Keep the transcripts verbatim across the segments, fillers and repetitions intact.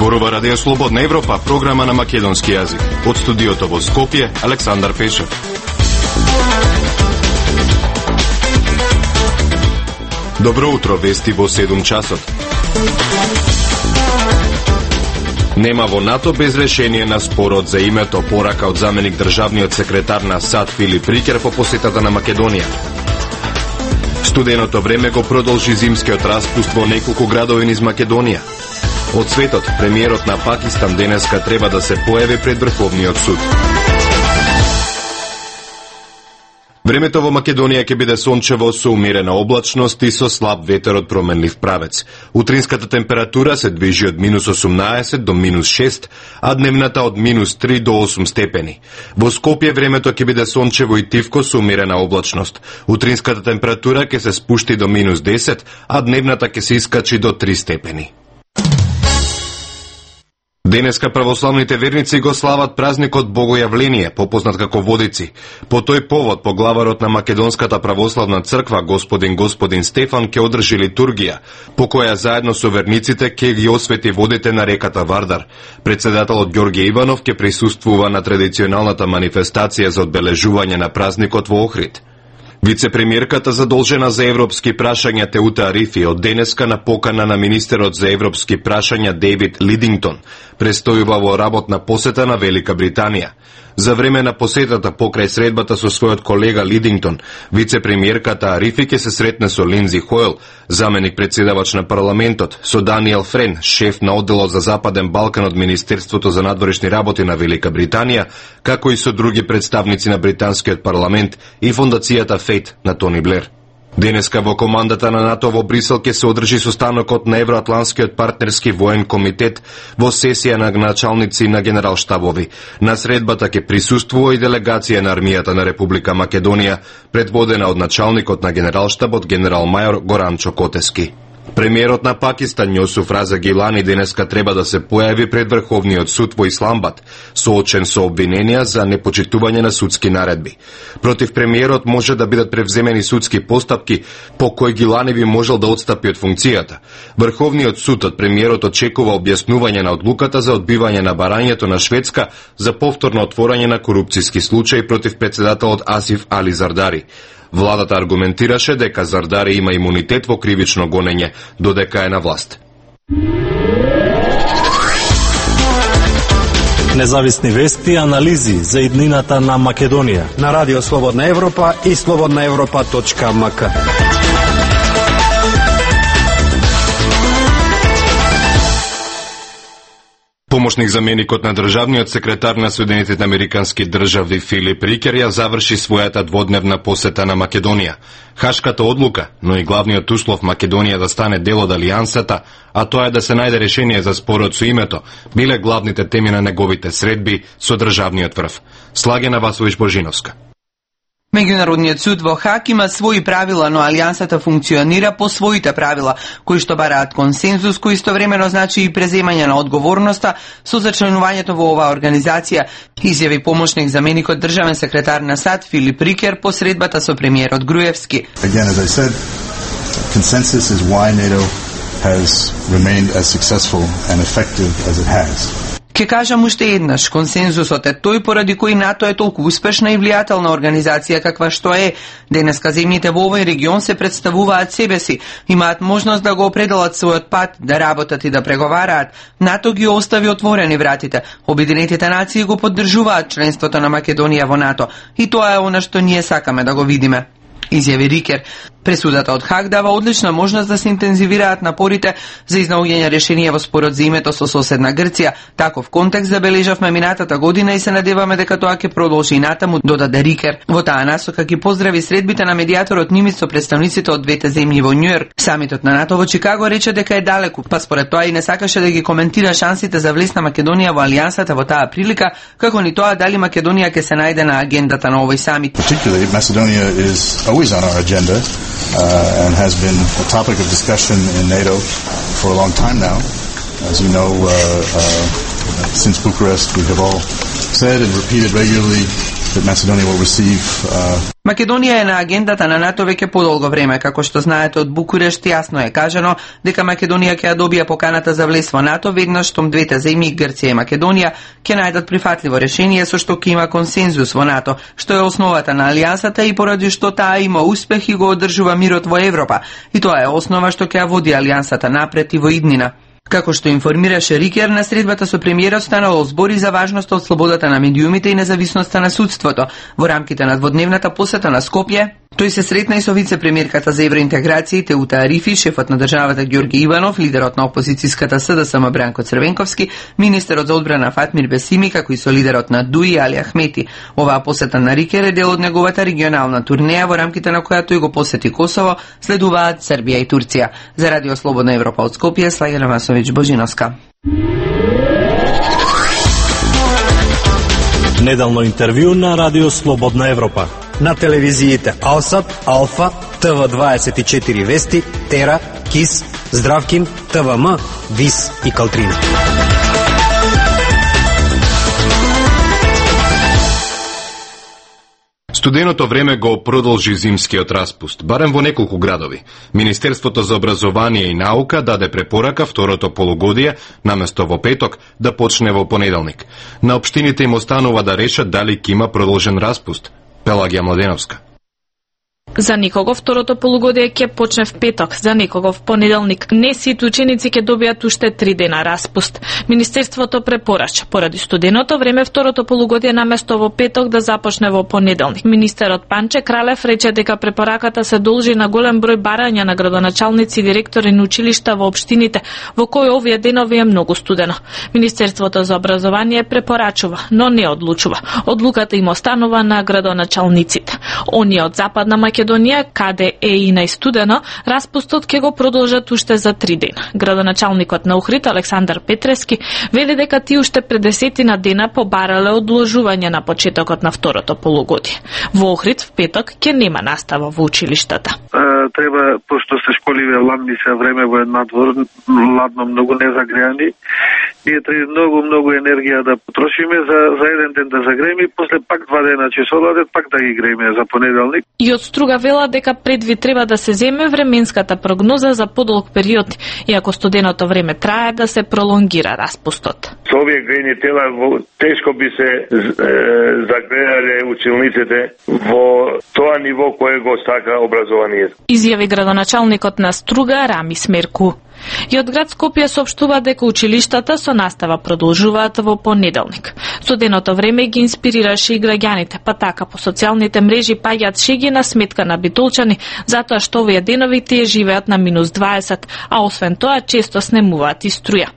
Зборува Радио Слободна Европа, програма на македонски јазик. Од студиото во Скопје, Александар Пешев. Добро утро, вести во седум часот. Нема во НАТО без решение на спорот за името, порака од заменик државниот секретар на САД Филип Рикер по посетата на Македонија. Студеното време го продолжи зимскиот распуст во неколку градови низ Македонија. Од светот, премиерот на Пакистан денеска треба да се појави пред Врховниот суд. Времето во Македонија ќе биде сончево со умерена облачност и со слаб ветер од променлив правец. Утринската температура се движи од минус осумнаесет до минус шест, а дневната од минус три до осум степени. Во Скопје времето ќе биде сончево и тивко со умерена облачност. Утринската температура ќе се спушти до минус десет, а дневната ќе се искачи до три степени. Денеска православните верници го слават празникот Богојавление, попознат како Водици. По тој повод, поглаварот на Македонската православна црква, господин господин Стефан, ќе одржи литургија, по која заедно со верниците ќе ги освети водите на реката Вардар. Председателот Ѓорѓе Иванов ќе присуствува на традиционалната манифестација за одбележување на празникот во Охрид. Вице-премиерката задолжена за европски прашања Теута Арифи од денеска на покана на министерот за европски прашања Дейвид Лидингтон престојува во работна посета на Велика Британија. За време на посетата покрај средбата со својот колега Лидингтон, вице-премиерката Арифи ќе се сретне со Линдзи Хойл, заменик председавач на парламентот, со Даниел Френ, шеф на одделот за Западен Балкан од Министерството за надворешни работи на Велика Британија, како и со други представници на британскиот парламент и фондацијата Фейт на Тони Блер. Денеска во командата на НАТО во Брисел ќе се одржи состанокот на Евроатланскиот партнерски воен комитет во сесија на началници на генералштабови. На средбата ќе присуствува и делегација на армијата на Република Македонија, предводена од началникот на генералштабот генерал-мајор Горан Чокотески. Премиерот на Пакистан Јосуф Раза Гилани денеска треба да се појави пред Врховниот суд во Исламбад, соочен со обвиненија за непочитување на судски наредби. Против премиерот може да бидат превземени судски постапки по кои Гилани би можел да отстапи од функцијата. Врховниот суд од премиерот очекува објаснување на одлуката за одбивање на барањето на Шведска за повторно отворање на корупцијски случај против председателот Асиф Али Зардари. Владата аргументираше дека Зардари има имунитет во кривично гонење, додека е на власт. Независни вести и анализи за иднината на Македонија на Радио Слободна Европа и слободна европа точка ем ка. Помошник заменикот на државниот секретар на Соединетите американски држави Филип Рикер ја заврши својата дводневна посета на Македонија. Хашката одлука, но и главниот услов Македонија да стане дел од алијансата, а тоа е да се најде решение за спорот со името, биле главните теми на неговите средби со државниот врв. Слагена Васович Божиновска. Меѓународниот суд во Хаг има своји правила, но алијансата функционира по своите правила, кои што бараат консензус, кој истовремено значи и преземање на одговорноста со зачленувањето во оваа организација, изјави помошник заменикот државен секретар на САД Филип Рикер по средбата со премиерот Груевски. Again, as I said, consensus is why NATO has remained as successful and effective as it has. Ке кажам уште еднаш, консензусот е тој поради кој НАТО е толку успешна и влијателна организација каква што е. Денеска земјите во овој регион се представуваат себе си, имаат можност да го определат својот пат, да работат и да преговараат. НАТО ги остави отворени вратите. Обединетите нации го поддржуваат членството на Македонија во НАТО и тоа е она што ние сакаме да го видиме, изјави Рикер. Пресудата од Хаг дава одлична можност да се интензивираат напорите за изнаоѓање решение во спорот за името со соседна Грција. Таков контекст забележавме минатата година и се надеваме дека тоа ќе продолжи и натаму, додаде Рикер. Во таа насока ќе поздрави средбите на медијаторот Нимиц со представниците од двете земји во Њујорк. Самитот на НАТО во Чикаго рече дека е далеку, па според тоа и не сакаше да ги коментира шансите за влез на Македонија во алијансата во таа прилика, како ни тоа дали Македонија ќе се најде на агендата на овој самит. Particularly, Macedonia is always on our agenda. Uh, and has been a topic of discussion in NATO for a long time now. As you know, uh, uh, since Bucharest, we have all said and repeated regularly that Macedonia will receive uh... Македонија е на агендата на НАТО веќе подолго време, како што знаете од Букурешт јасно е кажано дека Македонија ќе ја добија поканата за влез во НАТО веднаш штом двете земји, Грција и Македонија, ќе најдат прифатливо решение со што ќе има консензус во НАТО, што е основата на алијансата и поради што таа има успех и го одржува мирот во Европа. И тоа е основа што ќе ја води алијансата напред и во иднина. Како што информираше Рикер, на средбата со премиерот станало збори за важноста од слободата на медиумите и независноста на судството. Во рамките на дводневната посета на Скопје, тој се сретна и со вице-премиерката за евроинтеграција и Теута Арифи, шефот на државата Ѓорги Иванов, лидерот на опозицијската СДСМ Бранко Црвенковски, министерот за одбрана Фатмир Бесими, како и со лидерот на ДУИ Али Ахмети. Оваа посета на Рикер е дел од неговата регионална турнеја во рамките на која тој го посети Косово, следуваат Србија и Турција. За Радио Слободна Европа од Скопје, Слајана Масовиќ Божиновска. Неделно интервју на Радио Слободна Европа. На телевизиите Алсат, Алфа, Т В дваесет и четири Вести, Тера, Кис, Здравкин, Т В М, Вис и Калтрина. Студеното време го продолжи зимскиот распуст, барем во неколку градови. Министерството за образование и наука даде препорака второто полугодие, наместо во петок, да почне во понеделник. На општините им останува да решат дали ќе има продолжен распуст. Пелагија Младеновска. За никого второто полугодие ќе почне в петок, за никого в понеделник. Не сите ученици ќе добијат уште три дена распуст. Министерството препорача поради студеното време второто полугодие наместо во петок да започне во понеделник. Министерот Панче Кралев рече дека препораката се должи на голем број барања на градоначалници и директори на училишта во општините, во кои овие денови е многу студено. Министерството за образование препорачува, но не одлучува. Одлуката им останува на градоначалниците. Оние од Западна Македонија, каде е и најстудено, распустот ќе го продолжат уште за три дена. Градоначалникот на Охрид Александар Петрески вели дека ти уште пред десетина дена побарале одложување на почетокот на второто полугодие. Во Охрид в петок ќе нема настава во училиштата. Треба, пошто се школиве ладни се време во надвор, ладно многу незагреани, ние треба многу, многу енергија да потрошиме за, за еден ден да загрееме и после пак два дена ќе се одладат, пак да ги грееме за понеделник. И од Струга вела дека предвид треба да се земе временската прогноза за подолг период, и ако студеното време трае да се пролонгира распустот. Со овие грејни тела тешко би се е, загреале училниците во тоа ниво кое го сака образованието. Изјави градоначалникот на Струга Рами Смерку. И од град Скопје соопштува дека училиштата со настава продолжуваат во понеделник. Студеното време ги инспирираше и граѓаните, па така по социјалните мрежи паѓаат шеги на сметка на битолчани, затоа што овие денови тие живеат на минус дваесет, а освен тоа често снемуваат и струја.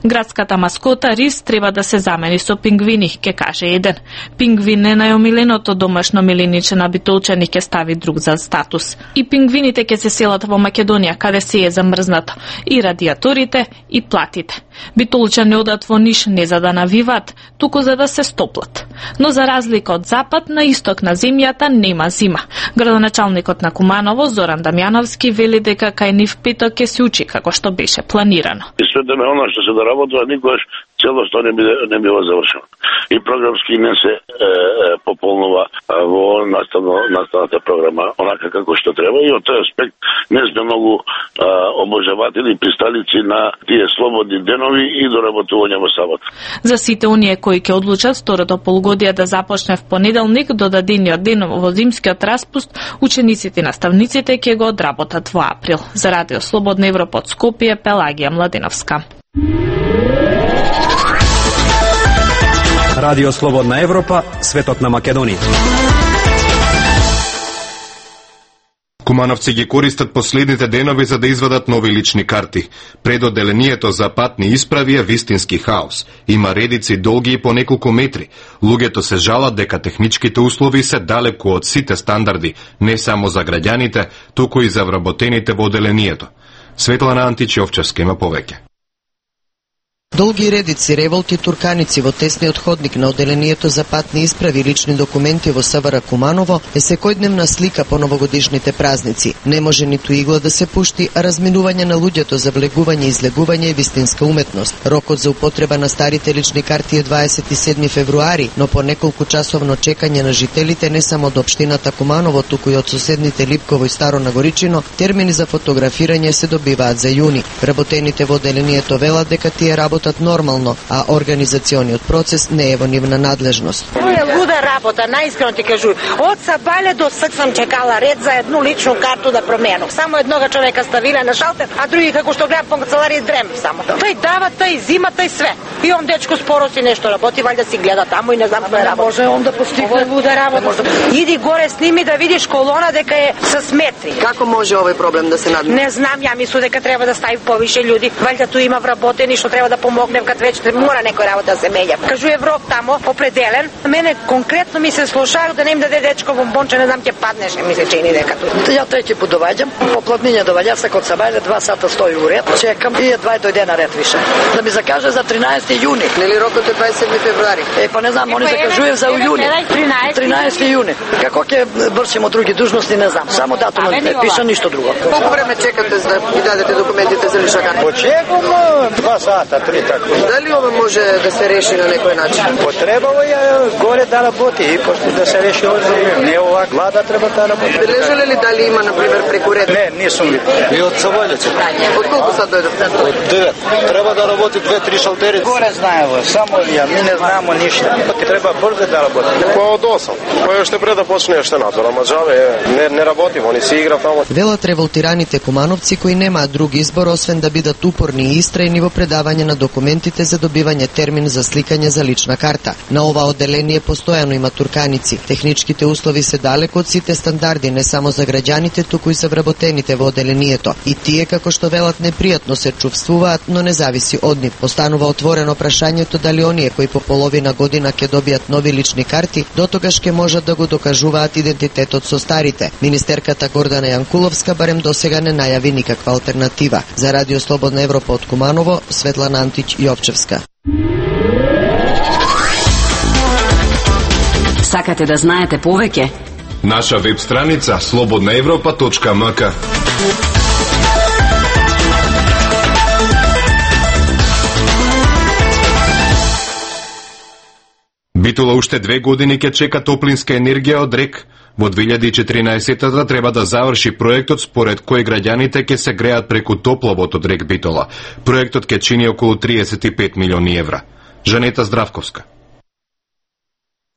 Градската маскота рис треба да се замени со пингвини, ке каже еден. Пингвин е најомиленото домашно милиниче на битолчани, ке стави друг за статус. И пингвините ке се селат во Македонија, каде се е замрзнато. И радиаторите, и платите. Битолчани одат во Ниш не за да навиваат, туку за да се стоплат. Но за разлика од запад, на исток на земјата нема зима. Градоначалникот на Куманово, Зоран Дамјановски, вели дека кај нив петок ке се учи како што беше планирано. Да работува никогаш целосно не биде не бива завршено. И програмски не се е, е, пополнува во наставно наставната програма онака како што треба, и од тој аспект не сме многу е, обожаватели и присталици на тие слободни денови и доработување во сабот. За сите оние кои ќе одлучат второто полугодие да започне в понеделник до дадениот ден во зимскиот распуст, учениците и наставниците ќе го одработат во април. За Радио Слободна Европа од Скопје, Пелагија Младеновска. Радио Слободна Европа, светот на Македонија. Кумановци ги користат последните денови за да извадат нови лични карти. Предоделението за патни исправи е вистински хаос. Има редици долги и по неколку метри. Луѓето се жалат дека техничките услови се далеку од сите стандарди, не само за граѓаните, туку и за вработените во оделението. Светлана Античи Овчарска има повеќе. Долги редици, револти турканици во тесниот ходник на оделението за патни исправи и лични документи во СВР Куманово е секојдневна слика по новогодишните празници. Не може ниту игла да се пушти, а разминување на луѓето за влегување и излегување е вистинска уметност. Рокот за употреба на старите лични карти е дваесет и седми февруари, но по неколку часовно чекање на жителите не само од општината Куманово, туку и од соседните Липково и Старо Нагоричино, термини за фотографирање се добиваат за јуни. Вработените во оделението велат дека тие работат нормално, а организациониот процес не е во нивна надлежност. Тоа е луда работа, најискрено ти кажувам. Од Сабале до Ск сам чекала ред за едну личну карту да променам. Само еднога човека ставиле на шалтер, а други како што гледам по канцеларија дрем само. Тој дава, тој зима, тој све. И он дечко споро си нешто работи, валјда си гледа таму и не знам кој работи. Може он да постигне. Ова е луда работа. Иди горе сними да видиш колона дека е со метри. Како може овој проблем да се надмени? Не знам, ја мислам дека треба да стави повише луѓе. Валјда ту има вработени што треба да помогнем кад веќе мора некој работа да се меѓа. Кажу Европ тамо определен. Мене конкретно ми се слушаат да не им даде дечко бомбонче, не знам ќе паднеш, ми се чини дека ту. Ја трети пат доваѓам, по платниње доваѓа се код Сабајле, два сата стои у ред, чекам и едва дојде на ред више. Да ми закаже за тринаесети јуни. Нели рокот е дваесет и седми февруари? Е, па не знам, они закажуваат за јуни. тринадесети јуни. Како ќе вршим од други дужности, не знам. Само датумот не пише ништо друго. Колку време чекате за да ги дадете документите за лична карта? Почекам два сата, три така. Дали ова може да се реши на некој начин? Потребало ја горе да работи и после да се реши овој. Не ова глада треба да работи. Бележале ли дали има на пример преку ред? Не, не сум ви. И од Сабајлеце. Од колку сат дојдовте? Од девет. Треба да работи две-три шалтери. Горе знаево, само ја, ми не знаеме ништо. Треба брзо да работи. Па од осам. Кој уште пред да почне уште надзор, ама џаве не не работи, они си игра таму. Велат револтираните кумановци кои немаат друг избор освен да бидат упорни и истрајни во предавање на документите за добивање термин за сликање за лична карта. На ова оделение постојано има турканици. Техничките услови се далеку од сите стандарди, не само за граѓаните, туку и за вработените во оделението. И тие, како што велат, непријатно се чувствуваат, но не зависи од нив. Останува отворено прашањето дали оние кои по половина година ќе добијат нови лични карти, дотогаш ќе можат да го докажуваат идентитетот со старите. Министерката Гордана Јанкуловска барем досега не најави никаква алтернатива. За Радио Слободна Европа од Куманово, Светлана Антич Јовчевска. Сакате да знаете повеќе? Наша веб страница слободна европа точка ем ка. Битола уште две години ќе чека топлинска енергија од РЕК. Во две илјади и четиринаесетта треба да заврши проектот според кој граѓаните ќе се греат преку топловод од РЕК Битола. Проектот ќе чини околу триесет и пет милиони евра. Жанета Здравковска.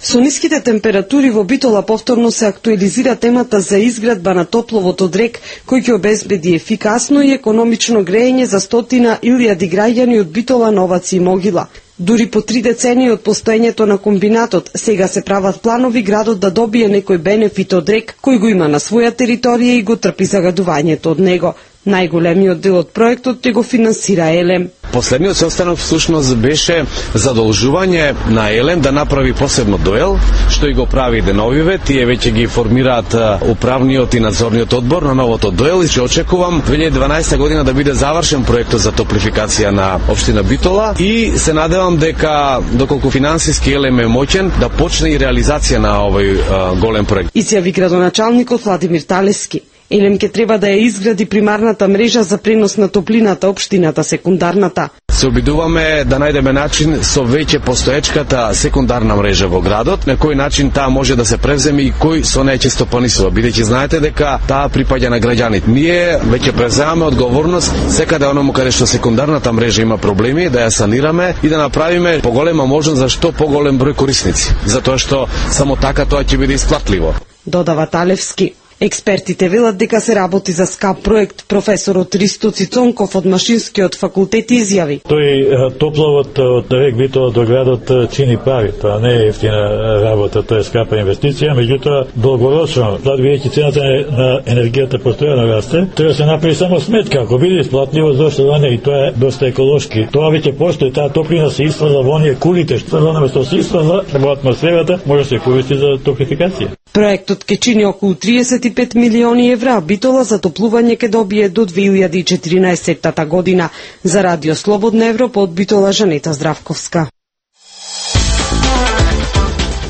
Со ниските температури во Битола повторно се актуализира темата за изградба на топловод од РЕК, кој ќе обезбеди ефикасно и економично грејење за стотина илјади граѓани од Битола, Новац и Могила. Дури по три децении од постоењето на комбинатот, сега се прават планови градот да добие некој бенефит од РЕК, кој го има на своја територија и го трпи загадувањето од него. Најголемиот дел од проектот ќе го финансира Елем. Последниот состанок всушност беше задолжување на Елем да направи посебно доел, што и го прави деновиве. Тие веќе ги формираат управниот и надзорниот одбор на новото доел и ќе очекувам две илјади и дванаесета година да биде завршен проектот за топлификација на општина Битола и се надевам дека доколку финансиски Елем е моќен да почне и реализација на овој а, голем проект. Изјави градоначалникот Владимир Талески. Елем ке треба да ја изгради примарната мрежа за пренос на топлината, општината секундарната. Се обидуваме да најдеме начин со веќе постоечката секундарна мрежа во градот, на кој начин таа може да се превземе и кој со неја ќе стопанисува, бидејќи знаете дека таа припаѓа на граѓаните. Ние веќе преземаме одговорност секаде оному каде што секундарната мрежа има проблеми да ја санираме и да направиме поголема можност за што поголем број корисници, затоа што само така тоа ќе биде исплатливо. Додава Талевски. Експертите велат дека се работи за скап проект. Професорот Ристо Цицонков од Машинскиот факултет изјави. Тој топловод од РЕК Битола до градот чини пари. Тоа не е ефтина работа, тоа е скапа инвестиција, меѓутоа долгорочно, бидејќи цената на енергијата постојано расте, треба се направи само сметка. Ако биде исплатливо, зошто да не, и тоа е доста еколошки. Тоа веќе постои, таа топлина се испазва во оние кулите, што наместо се испазва во атмосферата, може да се користи за топлификација. Проектот ќе чини околу триесет и пет милиони евра, а Битола за топлување ќе добие до две илјади и четиринаесетта година. За Радио Слободна Европа од Битола, Жанета Здравковска.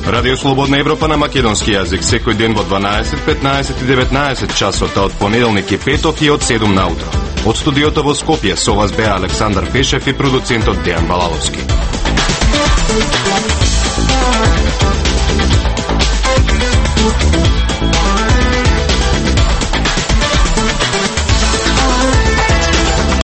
Радио Слободна Европа на македонски јазик секој ден во дванаесет, петнаесет и деветнаесет часот од понеделник и петок и од седум наутро. Од студиото во Скопје со вас беа Александар Пешев и продуцентот Дејан Балаловски. Thank you.